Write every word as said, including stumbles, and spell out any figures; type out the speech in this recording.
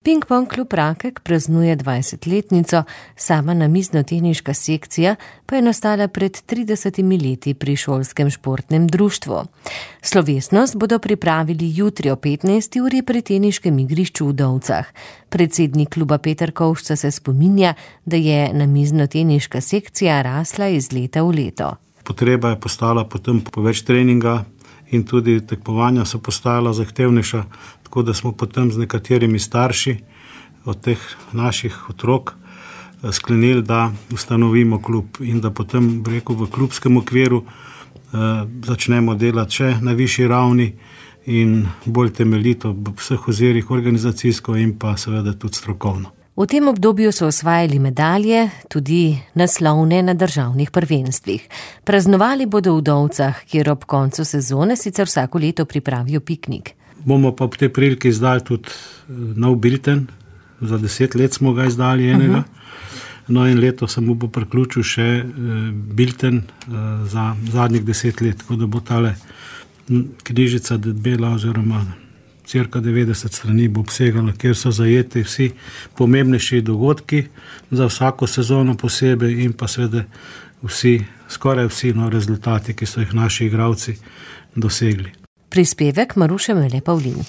Ping-pong klub Rakek praznuje dvajsetletnico, sama namiznoteniška sekcija pa je nastala pred tridesetimi leti pri šolskem športnem društvu. Slovesnost bodo pripravili jutri o petnajsti uri pri teniškem igrišču v Dovcah. Predsednik kluba Peter Kovšca se spominja, da je namiznoteniška sekcija rasla iz leta v leto. Potreba je postala potem po več treninga in tudi tekmovanja so postala zahtevnejša, tako da smo potem z nekaterimi starši od teh naših otrok sklenili, da ustanovimo klub in da potem, rekel, v klubskem okviru eh, začnemo delati še na višji ravni in bolj temeljito v vseh ozirih organizacijsko in pa seveda tudi strokovno. V tem obdobju so osvajali medalje, tudi naslovne na državnih prvenstvih. Praznovali bodo v Dovcah, kjer ob koncu sezone sicer vsako leto pripravijo piknik. Bomo pa ob tej priliki izdali tudi nov bilten, za deset let smo ga izdali enega. Uh-huh. No in leto se mu bo priključil še bilten za zadnjih deset let, tako da bo tale knjižica debela oziroma cirka devetdeset strani bo obsegala, kjer so zajeti vsi pomembnejši dogodki za vsako sezono posebej in pa seveda vsi, skoraj vsi no, rezultati, ki so jih naši igralci dosegli. Prispevek Maruše Mele Pavlin.